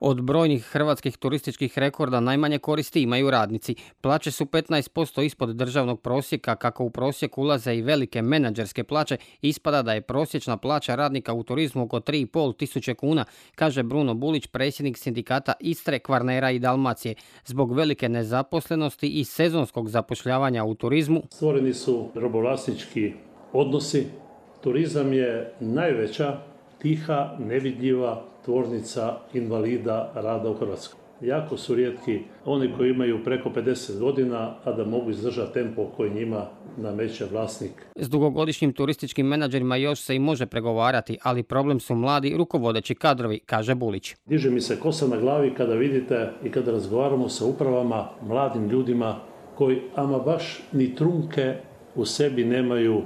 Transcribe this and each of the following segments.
Od brojnih hrvatskih turističkih rekorda najmanje koristi imaju radnici. Plaće su 15% ispod državnog prosjeka, kako u prosjek ulaze i velike menadžerske plaće, ispada da je prosječna plaća radnika u turizmu oko 3,5 tisuće kuna, kaže Bruno Bulić, predsjednik sindikata Istre, Kvarnera i Dalmacije. Zbog velike nezaposlenosti i sezonskog zapošljavanja u turizmu stvoreni su robovlasnički odnosi. Turizam je najveća, tiha, nevidljiva tvornica invalida rada u Hrvatskoj. Jako su rijetki oni koji imaju preko 50 godina, a da mogu izdržati tempo koji njima nameće vlasnik. S dugogodišnjim turističkim menadžerima još se i može pregovarati, ali problem su mladi rukovodeći kadrovi, kaže Bulić. Diže mi se kosa na glavi kada vidite i kada razgovaramo sa upravama, mladim ljudima koji ama baš ni trunke u sebi nemaju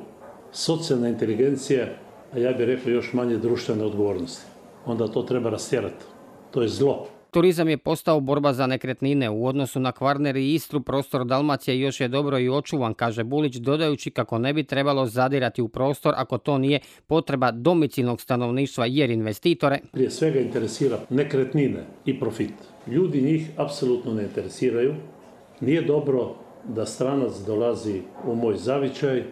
socijalne inteligencije, a ja bih rekao još manje društvene odgovornosti. Onda to treba rastjerati. To je zlo. Turizam je postao borba za nekretnine. U odnosu na Kvarner i Istru prostor Dalmacije još je dobro i očuvan, kaže Bulić, dodajući kako ne bi trebalo zadirati u prostor ako to nije potreba domicilnog stanovništva, jer investitore prije svega interesira nekretnine i profit. Ljudi njih apsolutno ne interesiraju. Nije dobro da stranac dolazi u moj zavičaj,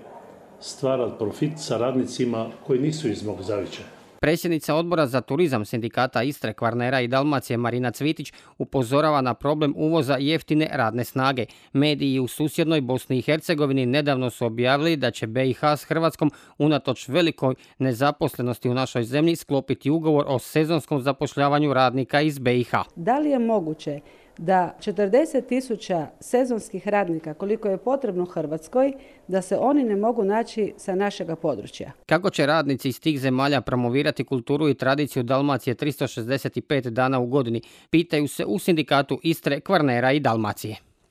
stvara profit sa radnicima koji nisu iz mog zavičaja. Predsjednica odbora za turizam sindikata Istre, Kvarnera i Dalmacije Marina Cvitić upozorava na problem uvoza jeftine radne snage. Mediji u susjednoj Bosni i Hercegovini nedavno su objavili da će BiH s Hrvatskom unatoč velikoj nezaposlenosti u našoj zemlji sklopiti ugovor o sezonskom zapošljavanju radnika iz BiH. Da li je moguće da 40.000 sezonskih radnika, koliko je potrebno Hrvatskoj, da se oni ne mogu naći sa našega područja? Kako će radnici iz tih zemalja promovirati kulturu i tradiciju Dalmacije 365 dana u godini, pitaju se u sindikatu Istre, Kvarnera i Dalmacije.